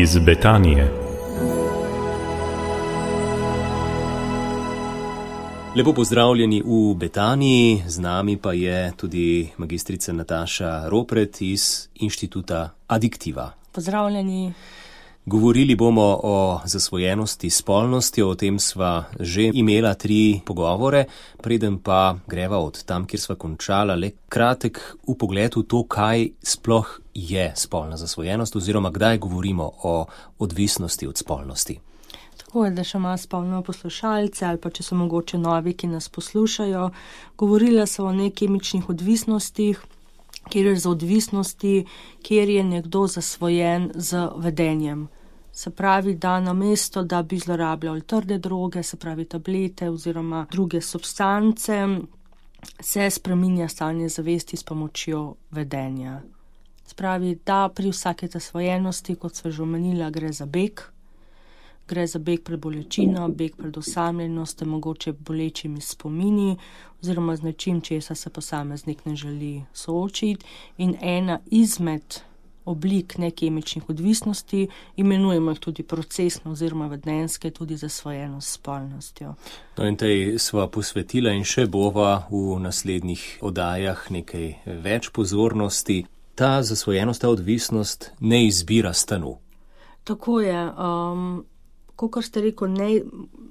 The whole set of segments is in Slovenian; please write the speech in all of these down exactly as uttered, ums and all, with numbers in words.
iz Betanije. Lepo pozdravljeni v Betaniji, z nami pa je tudi magistrica Nataša Ropret iz Inštituta Adiktiva. Pozdravljeni. Govorili bomo o zasvojenosti s spolnostjo, o tem sva že imela tri pogovore, preden pa greva od tam, kjer sva končala, le kratek vpogled v to, kaj sploh je spolna zasvojenost oziroma kdaj govorimo o odvisnosti od spolnosti. Tako je, da še ima spolno poslušalce ali pa če so mogoče novi, ki nas poslušajo. Govorila so o nekemičnih odvisnostih, kjer je za odvisnosti, kjer je nekdo zasvojen z vedenjem. Se pravi, da namesto, da bi zlorabljali trde droge, se pravi tablete oziroma druge substance, se spreminja stanje zavesti s pomočjo vedenja. Se pravi, da pri vsake zasvojenosti, kot sva že omenila, gre za beg. Gre za beg pred bolečino, beg pred osamljenostjo, mogoče bolečimi spomini oziroma z nečim, česa se posameznik ne želi soočiti. In ena izmed oblik nekemičnih odvisnosti, imenujemo jih tudi procesno oziroma vedenjske, tudi zasvojenost s spolnostjo. No in tej sva posvetila in še bova v naslednjih oddajah nekaj več pozornosti. Ta zasvojenost, ta odvisnost ne izbira stanu. Tako je. Um, Kakor ste rekel, ne,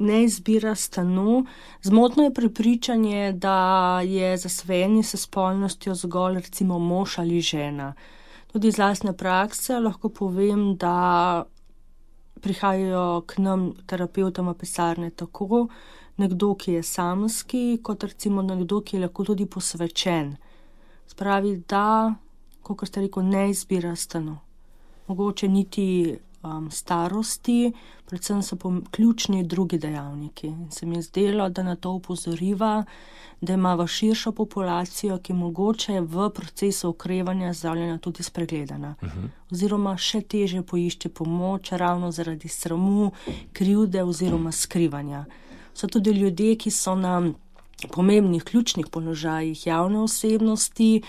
ne izbira stanu. Zmotno je prepričanje, da je zasvojenje s spolnostjo zgolj recimo mož ali žena. Tudi iz lastne prakse lahko povem, da prihajajo k nam terapevtom v pisarne tako nekdo, ki je samski, kot recimo nekdo, ki je lahko tudi posvečen. Spravi, da, kakor ste rekel, ne izbira stanu. Mogoče niti Um, starosti, predvsem so ključni drugi dejavniki. In se mi je zdelo, da na to upozoriva, da ima v širšo populacijo, ki mogoče v procesu okrevanja zdravljenja tudi spregledana. Uh-huh. Oziroma še teže poišče pomoč ravno zaradi sramu, krivde oziroma skrivanja. So tudi ljudje, ki so na pomembnih ključnih položajih javne osebnosti,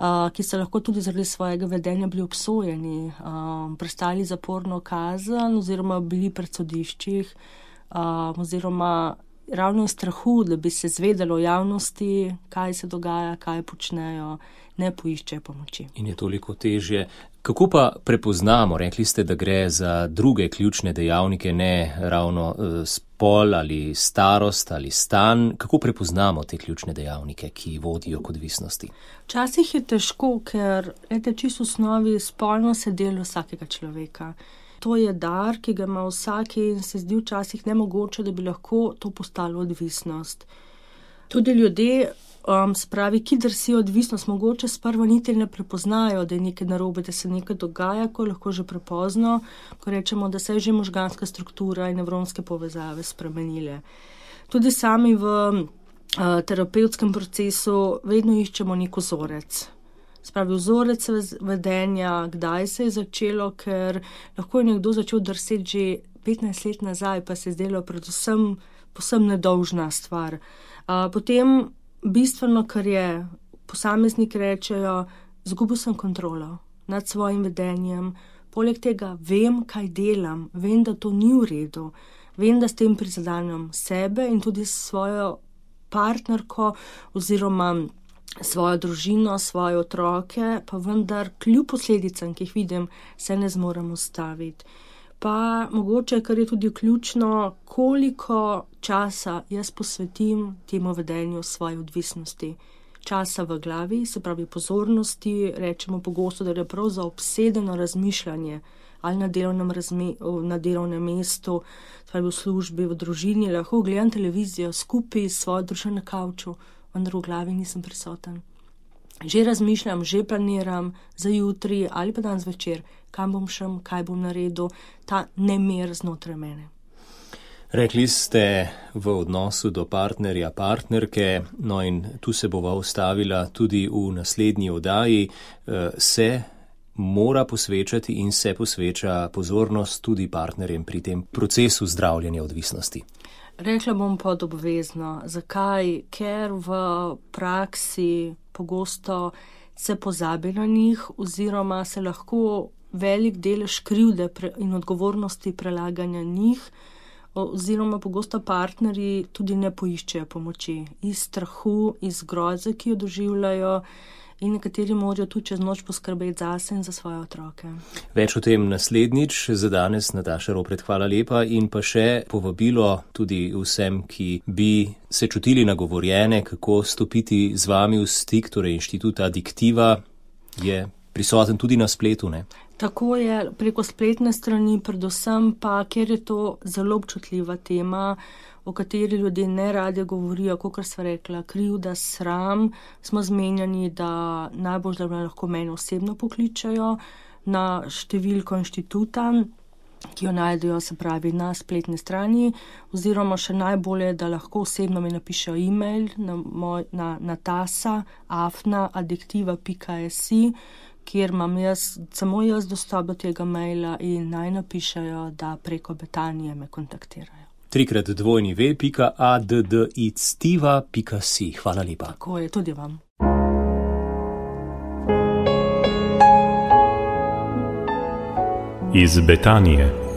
Uh, ki so lahko tudi zaradi svojega vedenja bili obsojeni, uh, prestali zaporno kazen oziroma bili pred sodiščih, uh, oziroma ravno iz strahu, da bi se zvedelo v javnosti, kaj se dogaja, kaj počnejo, ne poiščejo pomoči. In je toliko težje. Kako pa prepoznamo, rekli ste, da gre za druge ključne dejavnike, ne ravno uh, spol ali starost ali stan, kako prepoznamo te ključne dejavnike, ki vodijo k odvisnosti? Včasih je težko, ker ete, čisto v osnovi spolno se del vsakega človeka. To je dar, ki ga ima vsaki in se zdi včasih nemogoče, da bi lahko to postalo odvisnost. Tudi ljudje, um, spravi, ki drsijo odvisnost, mogoče sprva niti ne prepoznajo, da je nekaj narobe, da se nekaj dogaja, ko je lahko že prepozno, ko rečemo, da se je že možganska struktura in nevronske povezave spremenile. Tudi sami v uh, terapevtskem procesu vedno iščemo nek vzorec. Spravi vzorec vedenja, kdaj se je začelo, ker lahko je nekdo začel drseti že petnajst let nazaj, pa se je zdelo predvsem posem nedolžna stvar. A, potem bistveno, kar je, posamezniki rečejo, izgubil sem kontrolo nad svojim vedenjem, poleg tega vem, kaj delam, vem, da to ni v redu, vem, da s tem prizadanjam sebe in tudi svojo partnerko oziroma svojo družino, svoje otroke, pa vendar kljub posledicam, ki jih vidim, se ne zmorem ustaviti. Pa mogoče, kar je tudi ključno, koliko časa jaz posvetim temu vedenju svoje odvisnosti. Časa v glavi, se pravi pozornosti, rečemo pogosto, da je prav za obsedeno razmišljanje ali na delovnem, razme, na delovnem mestu, pravi v službi, v družini, lahko gledam televizijo skupaj s svojo družino na kavču, vendar v glavi nisem prisoten. Že razmišljam, že planiram za jutri ali pa danes večer, kam bom šel, kaj bom naredil, ta nemir znotraj mene. Rekli ste v odnosu do partnerja, partnerke, no in tu se bova ustavila tudi v naslednji oddaji, se mora posvečati in se posveča pozornost tudi partnerjem pri tem procesu zdravljenja odvisnosti. Rekla bom pod obvezno. Zakaj? Ker v praksi pogosto se pozabi na njih oziroma se lahko velik delež krivde in odgovornosti prelaganja njih, oziroma pogosto partnerji tudi ne poiščejo pomoči. Iz strahu, iz groze, ki jo doživljajo, in nekateri morajo tudi čez noč poskrbeti zase in za svoje otroke. Več o tem naslednjič. Za danes, Nataša Ropret, hvala lepa in pa še povabilo tudi vsem, ki bi se čutili nagovorjene, kako stopiti z vami v stik. Torej, Inštitut Adiktiva je prisoten tudi na spletu, ne? Tako je, preko spletne strani, predvsem pa, ker je to zelo občutljiva tema, o kateri ljudje ne radi govorijo, kakor sva rekla, krivda, sram, smo zmenjeni, da najbolj da lahko mene osebno pokličajo na številko inštituta, ki jo najdejo, se pravi, na spletni strani, oziroma še najbolje, da lahko osebno mi napišejo e-mail na, moj, na natasa afna adiktiva pika si, kjer imam jaz, samo jaz dostop do tega maila in naj napišejo, da preko Betanije me kontaktirajo. Trikrat dvojni ve pika addictiva pika si. Hvala lepa. Tako je, tudi vam. Iz Betanije.